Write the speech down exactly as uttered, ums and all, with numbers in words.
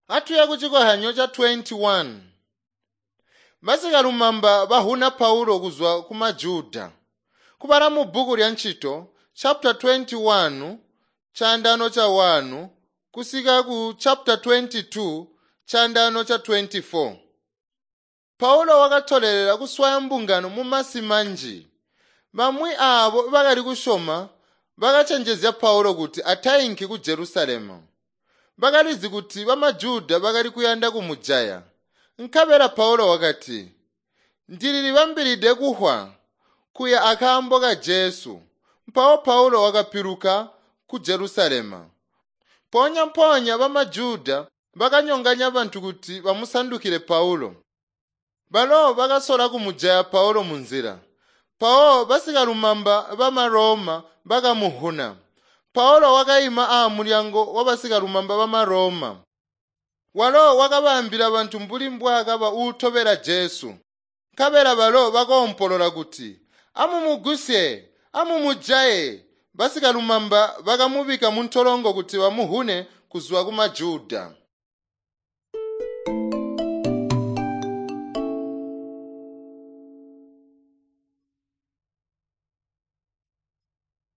Atuya kucikozyanyo ca twenty one. Basikalumamba bahuna Paulo kuzwa ku Majuda. Kubala mu bbuku lya Ncito chapter twenty one chaandano cha one kusika ku chapter twenty two chaandano cha twenty four. Paulo wakatolelela kuswaya mbungano mumasi manji. Bamwi aabo bakali kusyoma bakacenjezya Paulo kuti atainki ku Jerusalemu. Bakalizi kuti bamajuda bakali kuyanda kumujaya. Nkabela Paulo wakati, "Ndililibambilide kufwa kuya akaambo ka Jesu." Mpawo Paulo wakapiluka ku Jerusalemu. Mpoonya-mpoonya bamajuda bakanyonganya bantu kuti bamusandukile Paulo. Balo bakasola kumujaya Paulo munzila. Mpawo basikalumamba bama Roma bakamuhuna. Paulo wakaima aamulyango wabasikalumamba bama Roma. Walo wakabaambila bantu mbuli mbwaakaba uutobela Jesu. Nkabela balo bakoompolola kuti, "Amumugusye! Amumujaye!" Basikalumamba bakamubikka muntolongo kuti bamuhune kuzwa ku Majuda.